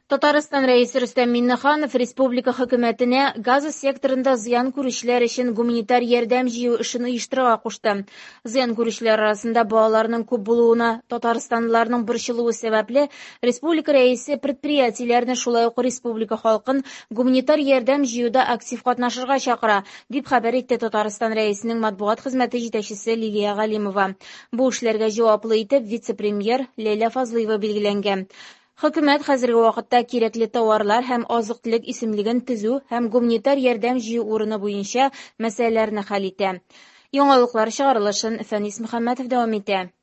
Татарстан Рәисе Рөстәм Миңнеханов республика хөкүмәтенә Газа секторында зыян күрүчеләр өчен гуманитар ярдәм җыю эшен оештырырга кушты. Зыян күрүчеләр арасында балаларның күп булуына татарстанлыларның борчылуы сәбәпле, республика Рәисе предприятиеләрне, шулай ук республика халкын гуманитар ярдәм җыюда актив катнашырга чакыра, дип хәбәр итте Татарстан Рәисенең матбугат хезмәте җитәкчесе Лилия Галимова. Бу эшләргә җаваплы итеп вице-премьер Ләйлә Фазлыева билгеләнгән. Хөкүмәт хәзерге вакытта кирәкле тауарлар һәм азык-төлек исемлеген төзү һәм гуманитар ярдәм җыю урыны буенча мәсьәләләрне хәл итә. Яңалыклар чыгарылышын Фәнис Мөхәммәтов дәвам итә.